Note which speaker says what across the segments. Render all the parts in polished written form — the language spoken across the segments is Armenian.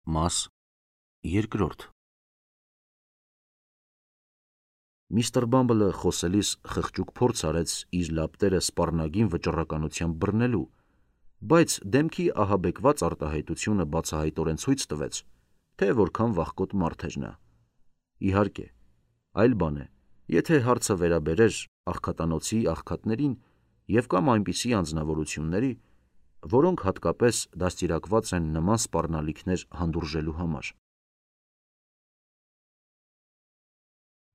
Speaker 1: Մաս երկրորդ Միստր Բամբլը խոսելիս խղճուկ փորձ արեց իր լապտերը սպառնագին վճռականությամբ բռնելու, բայց դեմքի ահաբեկված արտահայտությունը բացահայտորեն ցույց տվեց, թե որքան վախկոտ մարդ էր նա։ Իհարկե, այլ բան է, եթե հարցը վերաբերեր աղքատանոցի աղքատներին և կամ այնպիսի անձնավորությունների, որոնք հատկապես դաստիարակված են նման սպառնալիքներ հանդուրժելու համար։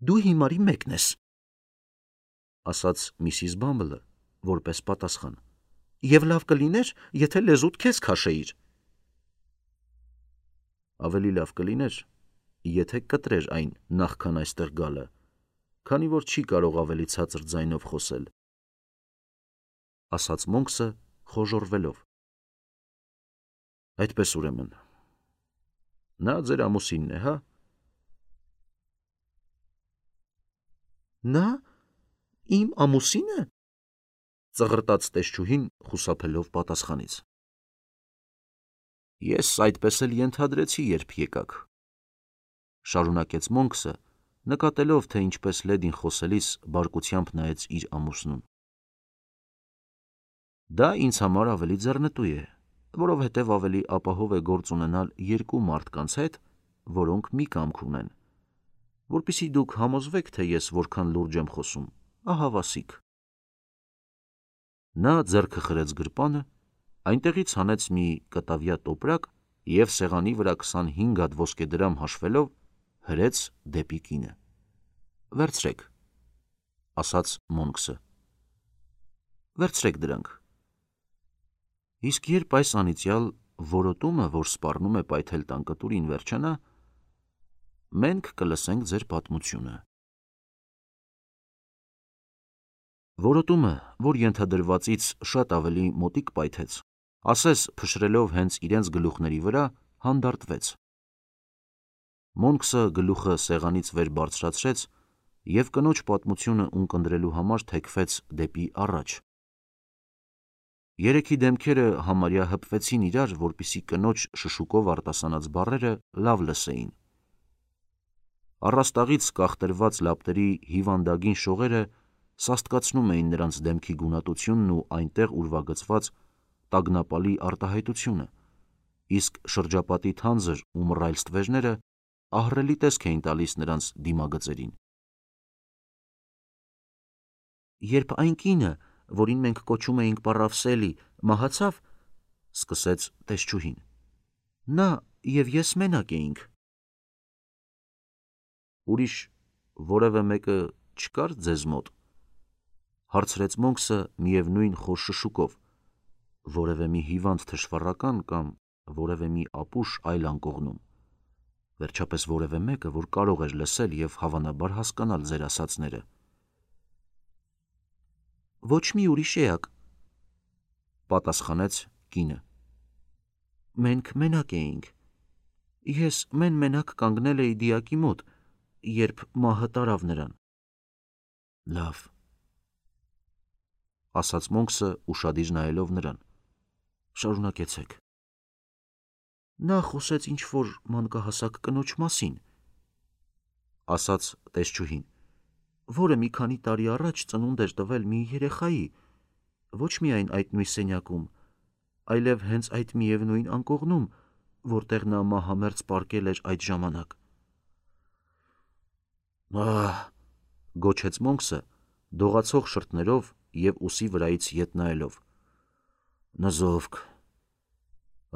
Speaker 1: «Դու հիմարի մեկն ես», ասաց Միսիս Բամբլը, որպես պատասխան, «և լավ կլիներ, եթե լեզուդ քեզ քաշեիր»։ Ավելի լավ կլիներ, եթե կտրեր այն նախքան այստեղ գալը, քանի որ չի կարող ավելի ցածր ձայնով խոսել, ասաց Մոնքսը խոժոռվելով։ Այդպես ուրեմն, նա ձեր ամուսինն է, հա՞։ Նա իմ ամուսինը, ծղրտաց տեսչուհին խուսափելով պատասխանից։ Ես այդպես էլ ենթադրեցի, երբ եկաք, շարունակեց Մոնքսը, նկատելով, թե ինչպես լեդին խոսելիս բարկությամբ նայեց իր ամուսնուն։ Դա ինձ համար ավելի ձեռնտու է, որովհետև ավելի ապահով է գործ ունենալ երկու մարդկանց հետ, որոնք մի կամք ունեն, որպեսզի դուք համոզվեք, թե ես որքան լուրջ եմ խոսում, ահավասիկ։ Նա ձեռքը խրեց գրպանը, այնտեղից հանեց մի կտավյա տոպրակ և սեղանի վրա 25 հատ ոսկեդրամ հաշվելով հրեց դեպի կինը։ Վերցրեք, ասաց Մոնքսը։ Վերցրեք դրանք։ Իսկ երբ այս անիծյալ որոտումը, որ սպառնում է պայթել տան կտուրին, վերջանա, մենք կլսենք ձեր պատմությունը։ Որոտումը, որ ենթադրվածից շատ ավելի մոտիկ պայթեց, ասես փշրելով հենց իրենց գլուխների վրա, հանդարտվեց։ Մոնքսը գլուխը սեղանից վեր բարձրացրեց և կնոջ պատմությունը ունկնդրելու համար թեքվեց դեպի առաջ։ Երեքի դեմքերը համարյա հպվեցին իրար, որպեսզի կնոջ շշուկով արտասանած բառերը լավ լսեին։ Առաստաղից կախտրված լապտերի հիվանդագին շողերը սաստկացնում էին նրանց դեմքի գունատությունն ու այնտեղ ուրվագծված տագնապալի արտահայտությունը, իսկ շրջապատի թանձր ու մռայլ ստվերները ահռելի տեսք էին տալիս նրանց դիմագծերին։ Երբ այն կինը, որին մենք կոչում էինք պառավ Սելի, մահացավ, սկսեց տեսչուհին, նա և ես մենակ էինք։ Ուրիշ որևէ մեկը չկար ձեզ մոտ, հարցրեց Մոնքսը միևնույն խոր շշուկով, որևէ մի հիվանդ թշվառական կամ որևէ մի ապուշ այլ անկողնում, վերջապես որևէ մեկը, որ կարող էր լսել և հավանաբար հասկանալ ձեր ասածները։ Ոչ մի ուրիշ էակ, պատասխանեց կինը։ Մենք մենակ էինք։ Ես մեն-մենակ կանգնել էի դիակի մոտ, երբ մահը տարավ նրան։ Լավ, ասաց Մոնքսը ուշադիր նայելով նրան, շարունակեցեք։ Նա խոսեց ինչ-որ մանկահասակ կնոջ մասին, ասաց տեսչուհին, որը մի քանի տարի առաջ ծնունդ էր տվել մի երեխայի, ոչ միայն այդ նույն սենյակում, այլև հենց այդ միևնույն անկողնում, որտեղ նա մահամերձ պառկել էր այդ ժամանակ։ Ահ, գոչեց Մոնքսը, դողացող շրթներով և ուսի վրայից ետ նայելով։ Նզովք,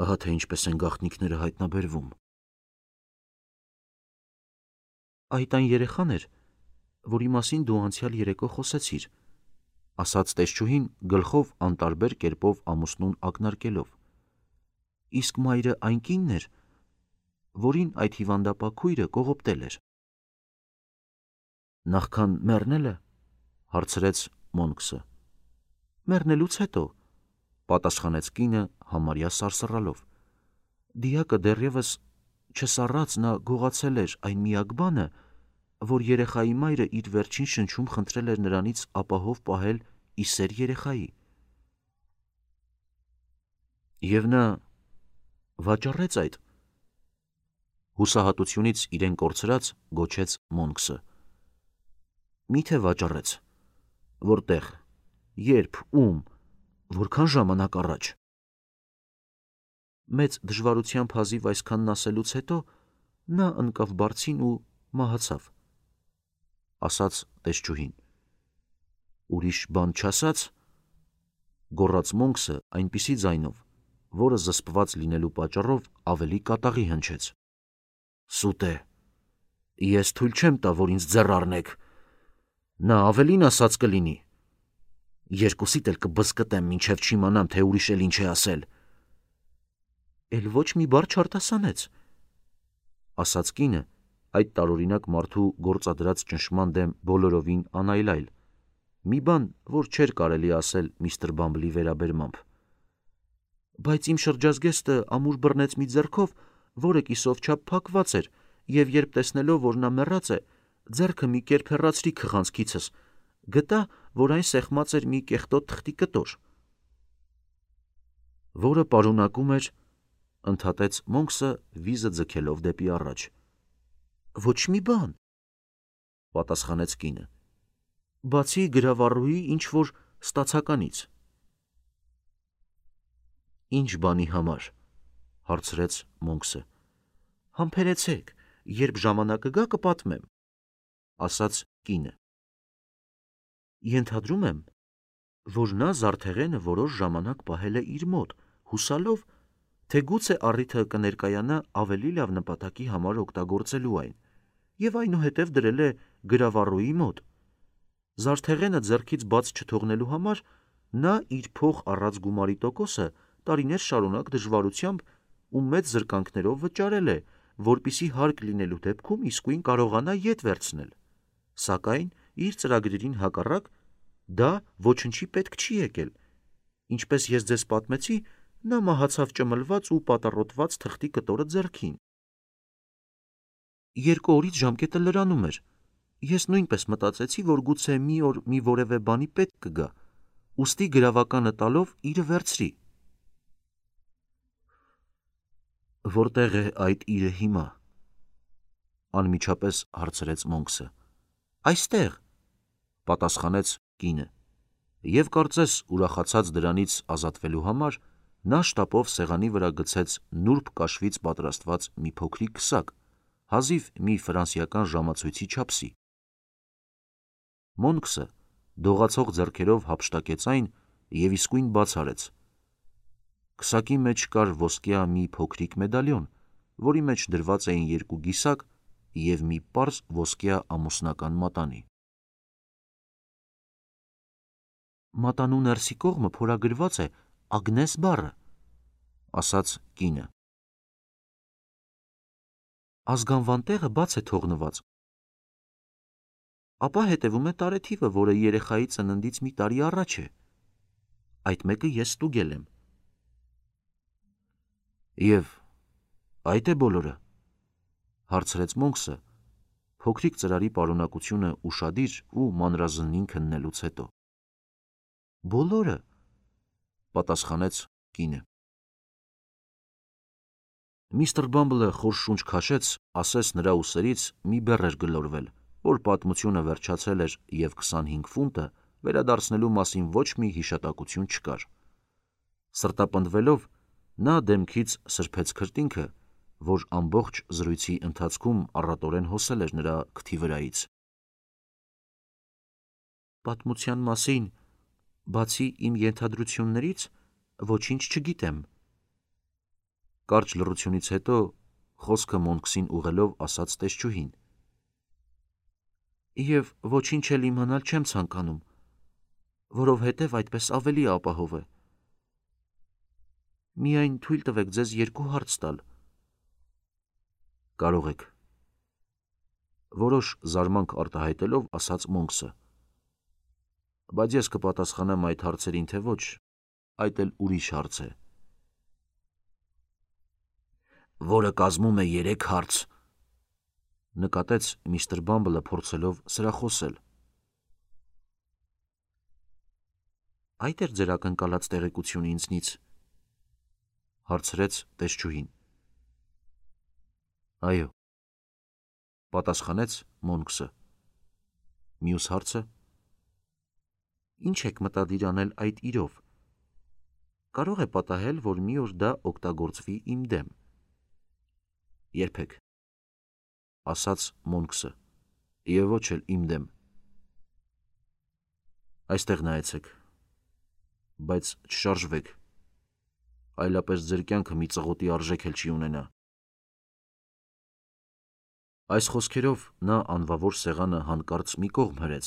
Speaker 1: ահա թե ինչպես են գաղտնիքները հայտնաբերվում։ Այդ այն երեխան էր, որի մասին դու անցյալ երեկո խոսեցիր, ասաց տեսչուհին գլխով անտարբեր կերպով ամուսնուն ակնարկելով։ Իսկ մայրը այն կինն էր, որին այդ հիվանդապա քույրը կողոպտել էր։ Նախքան մեռնելը, հարցրեց Մոնքսը։ Մեռնելուց հետո, պատասխանեց կինը համարյա սարսռալով։ Դիակը դեռևս չսառած նա գողացել էր այն միակ բանը, որ երեխայի մայրը իր վերջին շնչում խնդրել էր նրանից ապահով պահել ի սեր երեխայի։ Եվ նա վաճառեց այդ, Հուսահատությունից իրեն կորցրած գոչեց Մոնքսը. Միթե վաճառեց, որտեղ, երբ, ում, որքան ժամանակ առաջ։ Մեծ դժվարությամբ հազիվ այսքանն ասելուց հետո նա ընկավ բարձին ու մահացավ, ասաց տեսչուհին։ Ուրիշ բան չասաց, գոռաց Մոնքսը այնպիսի ձայնով, որը զսպված լինելու պատճառով ավելի կատաղի հնչեց։ Սուտ է, ես թույլ չեմ տա, որ ինձ ձեռ առնեք, նա ավելին ասած կլինի, երկուսիդ էլ կբզկտեմ, մինչև չիմանամ, թե ուրիշ էլ ինչ է ասել։ Էլ ոչ մի բառ չարտասանեց, ասաց կինը, այդ տարօրինակ մարդու գործադրած ճնշման դեմ բոլորովին անայլայլ, մի բան, որ չէր կարելի ասել միստր Բամբլի վերաբերմամբ։ Բայց իմ շրջազգեստը ամուր բռնեց մի ձեռքով, որը կիսով չափ փակված էր, և երբ տեսնելով, որ նա մեռած է, ձեռքը մի կերպ հեռացրի քղանցքիցս, գտա, որ այն սեղմած էր մի կեղտոտ թղթի կտոր, որը պարունակում էր, ընդհատեց Մոնքսը վիզը ձգելով դեպի առաջ։ Ոչ մի բան, պատասխանեց կինը, բացի գրավառուի ինչ-որ ստացականից։ Ինչ բանի համար, հարցրեց Մոնքսը։ Համբերեցեք, երբ ժամանակը գա կպատմեմ, ասաց կինը։ Ենթադրում եմ, որ նա զարդեղենը որոշ ժամանակ պահել է իր մոտ, հուսալով, թե գուցե առիթը կներկայանա ավելի լավ նպատակի համար օգտագործելու այն, և այնուհետև դրել է գրավառուի մոտ։ Զարդեղենը ձեռքից բաց չթողնելու համար նա իր փող առած գումարի տոկոսը տարիներ շարունակ դժվարությամբ ու մեծ զրկանքներով վճարել է, որպեսզի հարկ լինելու դեպքում իսկույն կարողանա ետ վերցնել, սակայն իր ծրագրերին հակառակ դա ոչնչի պետք չի եկել, ինչպես ես ձեզ պատմեցի, նա մահացավ ճմլված ու պատառոտված թղթի կտորը ձեռքին։ 2 օրից ժամկետը լրանում էր, ես նույնպես մտածեցի, որ գուցե մի օր մի որևէ բանի պետք կգա, ուստի գրավականը տալով իրը վերցրի։ Որտեղ է այդ իրը հիմա, անմիջապես հարցրեց Մոնքսը։ Այստեղ, պատասխանեց կինը, և կարծես ուրախացած դրանից ազատվելու համար նա շտապով սեղանի վրա գցեց նուրբ կաշվից պատրաստված մի փոքրիկ քսակ, հազիվ մի ֆրանսիական ժամացույցի չափսի։ Մոնքսը դողացող ձեռքերով հափշտակեց այն և իսկույն բաց արեց։ Քսակի մեջ կար ոսկյա մի փոքրիկ մեդալիոն, որի մեջ դրված էին 2 գիսակ և մի պարզ ոսկյա ամուսնական մատանի։ Մատանու ներսի կողմը փորագրված է Ագնես բառը, ասաց կինը։ Ազգանվան տեղը բաց է թողնված։ Ապա հետևում է տարեթիվը, որը երեխայի ծննդից մի տարի առաջ է։ Այդ մեկը ես ստուգել եմ։ Եվ այդ է բոլորը, հարցրեց Մոնքսը, փոքրիկ ծրարի պարունակությունը ուշադիր ու մանրազնին քննելուց հետո։ Բոլորը, պատասխանեց կինը։ Միստր Բամբլը խոր շունչ քաշեց, ասես նրա ուսերից մի բեռ էր գլորվել, որ պատմությունը վերջացել էր և 25 ֆունտը վերադարձնելու մասին ոչ մի հիշատակություն չկար։ Սրտապնդվելով, նա դեմքից սրբեց քրտինքը, որ ամբողջ զրույցի ընթացքում առատորեն հոսել էր նրա քթի վրայից։ Պատմության մասին, բացի իմ ենթադրություններից, ոչինչ չգիտեմ։ Կարճ լռությունից հետո խոսքը Մոնքսին ուղղելով ասաց տեսչուհին։ Եվ ոչինչ էլ իմանալ չեմ ցանկանում, որովհետև այդպես ավելի ապահով է։ Միայն թույլ տվեք ձեզ 2 հարց տալ։ Կարող եք, որոշ զարմանք արտահայտելով ասաց Մոնքսը։ Բայց ես կպատասխանեմ այդ հարցերին, թե ոչ, այդ էլ ուրիշ հարց է։ Որը կազմում է 3 հարց, նկատեց միստր Բամբլը փորձելով սրախոսել։ Այդ էր ձեր ակնկալած տեղեկությունը ինձնից, հարցրեց տեսչուհին։ Այո, պատասխանեց Մոնքսը։ Մյուս հարցը. Ինչ եք մտադիր անել այդ իրով։ Կարող է պատահել, որ մի օր դա օգտագործվի իմ դեմ։ Երբեք, ասաց Մոնքսը, եւ ոչ էլ իմ դեմ։ Այստեղ նայեցեք, բայց չշարժվեք, այլապես ձեր կյանքը մի ծղոտի արժեք էլ չի ունենա։ Այս խոսքերով նա անվավոր սեղանը հանկարծ մի կողմ հրեց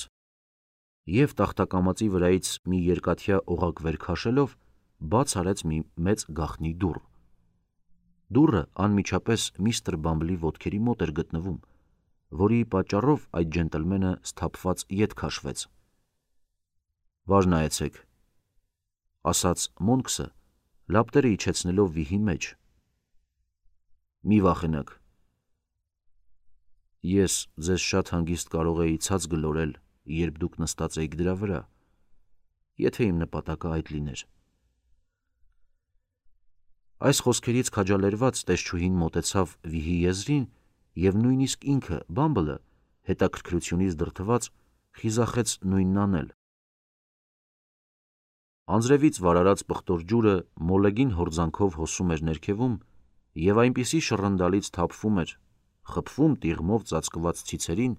Speaker 1: և տախտակամածի վրայից մի երկաթյա օղակ վեր քաշելով բաց արեց մի մեծ գաղտնի դուռ։ Դուռը անմիջապես միստր Բամբլի ոտքերի մոտ էր գտնվում, որի պատճառով այդ ջենտլմենը սթափված ետ քաշվեց։ Վար նայեցեք, ասաց Մոնքսը, լապտերը իջեցնելով վիհի մեջ։ Մի վախենաք։ Ես ձեզ շատ հանգիստ կարող էի ցած գլորել, երբ դուք նստած էիք դրա վրա, եթե իմ նպատակը այդ լիներ։ Այս խոսքերից քաջալերված տեսչուհին մոտեցավ վիհի եզրին և նույնիսկ ինքը Բամբլը, հետաքրքրությունից դրդված, խիզախեց նույնն անել։ Անձրևից վարարած պղտոր ջուրը մոլեգին հորձանքով հոսում էր ներքևում և այնպիսի շռնդալից թափվում էր, խփվում տիղմով ծածկված ցիցերին,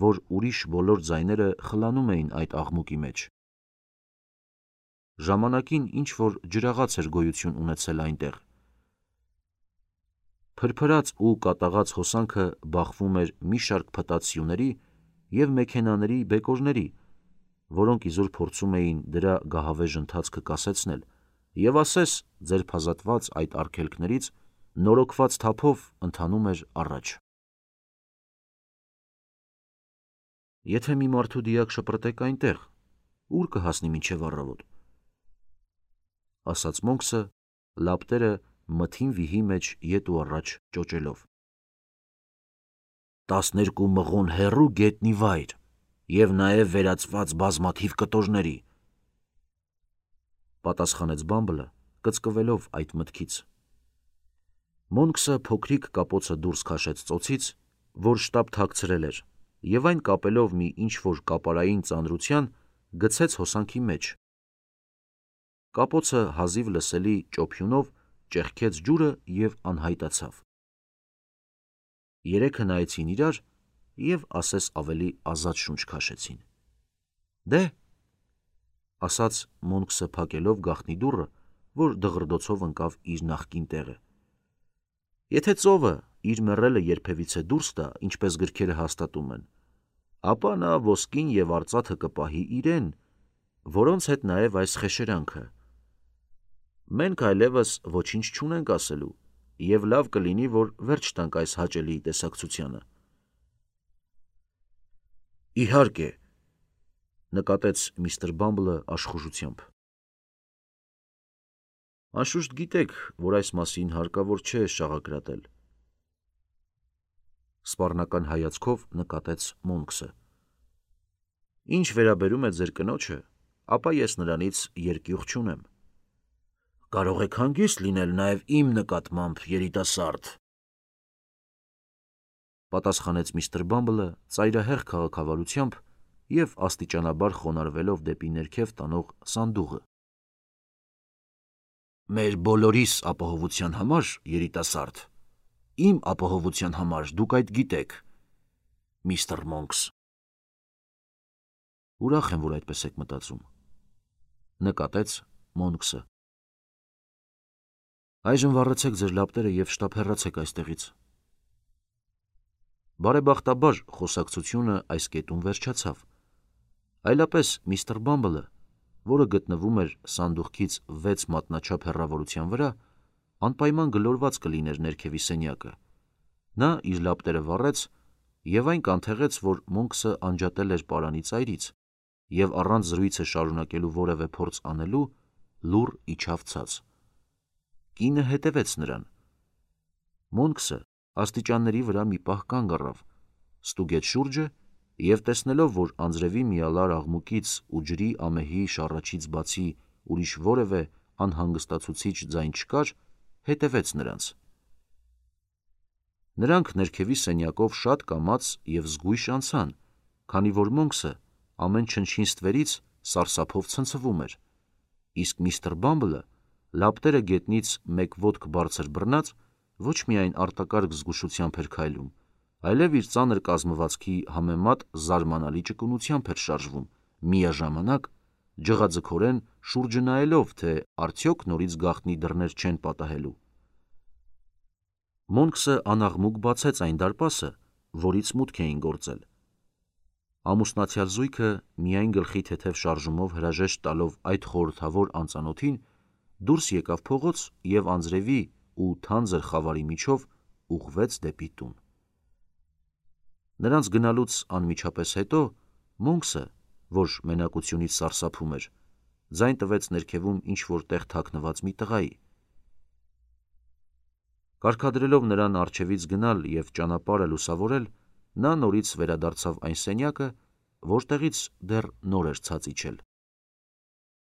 Speaker 1: որ ուրիշ բոլոր ձայները խլանում էին այդ աղմուկի մեջ։ Ժամանակին ինչ-որ ջրաղաց էր գոյություն ունեցել այնտեղ։ Փրփրած ու կատաղած հոսանքը բախվում էր մի շարք փտած սյուների և մեքենաների բեկորների, որոնք իզուր փորձում էին դրա գահավեժ ընթացքը կասեցնել և ասես ձերբազատված այդ արգելքներից նորոգված թափով ընթանում էր առաջ։ Եթե մի մարդու դիակ շպրտեք այնտեղ, ուր կհասնի մինչև առավոտ, ասաց Մոնքսը, լապտերը մթին վիհի մեջ ետ ու առաջ ճոճելով։ 12 մղոն հեռու գետնի վայր և նաև վերածված բազմաթիվ կտորների, պատասխանեց Բամբլը, կծկվելով այդ մտքից։ Մոնքսը փոքրիկ կապոցը դուրս քաշեց ծոցից, որ շտապ թաքցրել էր, և այն կապելով մի ինչ-որ կապարային ծանրության, գցեց հոսանքի մեջ։ Կապոցը հազիվ լսելի ճոփյունով ճեղքեց ջուրը և անհայտացավ։ Երեքը նայեցին իրար և ասես ավելի ազատ շունչ քաշեցին։ Դե, ասաց Մոնքսը փակելով գաղտնի դուռը, որ դղրդոցով ընկավ իր նախկին տեղը։ Եթե ծովը իր մեռելը երբևիցե դուրս տա, ինչպես գրքերը հաստատում են, ապա նա ոսկին և արծաթը կպահի իրեն, որոնց հետ նաև այս խեշերանքը։ Մենք այլևս ոչինչ չունենք ասելու, և լավ կլինի, որ վերջ տանք այս հաճելի տեսակցությանը։ Իհարկե, նկատեց միստր Բամբլը աշխուժությամբ։ Անշուշտ գիտեք, որ այս մասին հարկավոր չէ շաղակրատել, սպառնական հայացքով նկատեց Մոնքսը։ Ինչ վերաբերում է ձեր կնոջը, ապա ես նրանից երկյուղ չունեմ։ Կարող եք հանգիստ լինել նաև իմ նկատմամբ, երիտասարդ, պատասխանեց միստր Բամբլը ծայրահեղ քաղաքավարությամբ և աստիճանաբար խոնարհվելով դեպի ներքև տանող սանդուղը։ Մեր բոլորիս ապահովության համար, երիտասարդ, իմ ապահովության համար դուք այդ գիտեք, միստր Մոնքս։ Ուրախ եմ, որ այդպես եք մտածում, նկատեց Մոնքսը։ Այժմ վառեցեք ձեր լապտերը և շտապ հեռացեք այստեղից։ Բարեբախտաբար խոսակցությունը այս կետում վերջացավ, այլապես միստր Բամբլը, որը գտնվում էր սանդուղքից 6 մատնաչափ հեռավորության վրա, անպայման գլորված կլիներ ներքևի սենյակը։ Նա իր լապտերը վառեց և այն կանթեղեց, որ Մոնքսը անջատել էր պարանի ծայրից և առանց զրույցը շարունակելու որևէ փորձ անելու, լուռ իջավ ցած։ Կինը հետևեց նրան։ Մոնքսը աստիճանների վրա մի պահ կանգ առավ, ստուգեց շուրջը և տեսնելով, որ անձրևի միալար աղմուկից ու ջրի ամեհի շառաչից բացի ուրիշ որևէ անհանգստացուցիչ ձայն չկար, հետևեց նրանց։ Նրանք ներքևի սենյակով շատ կամաց և զգույշ անցան, քանի որ Մոնքսը ամեն չնչին ստվերից սարսափով ցնցվում էր, իսկ միստր Բամբլը, լապտերը գետնից մեկ ոտք բարձր բռնած, ոչ միայն արտակարգ զգուշությամբ էր քայլում, այլև իր ծանր կազմվածքի համեմատ զարմանալի ճկունությամբ էր շարժվում, միաժամանակ ջղաձգորեն շուրջը նայելով, թե արդյոք նորից գաղտնի դռներ չեն պատահելու։ Մոնքսը անաղմուկ բացեց այն դարպասը, որից մուտք էին գործել։ Ամուսնացյալ զույգը միայն գլխի թեթև շարժումով հրաժեշտ տալով այդ խորհրդավոր անծանոթին, դուրս եկավ փողոց և անձրևի ու թանձր խավարի միջով ուղղվեց դեպի տուն։ Նրանց գնալուց անմիջապես հետո Մոնքսը, որ մենակությունից սարսափում էր, ձայն տվեց ներքևում ինչ-որ տեղ թաքնված մի տղայի։ Կարգադրելով նրան առջևից գնալ և ճանապարհը լուսավորել, նա նորից վերադարձավ այն սենյակը, որտեղից դեռ նոր էր ցած իջել։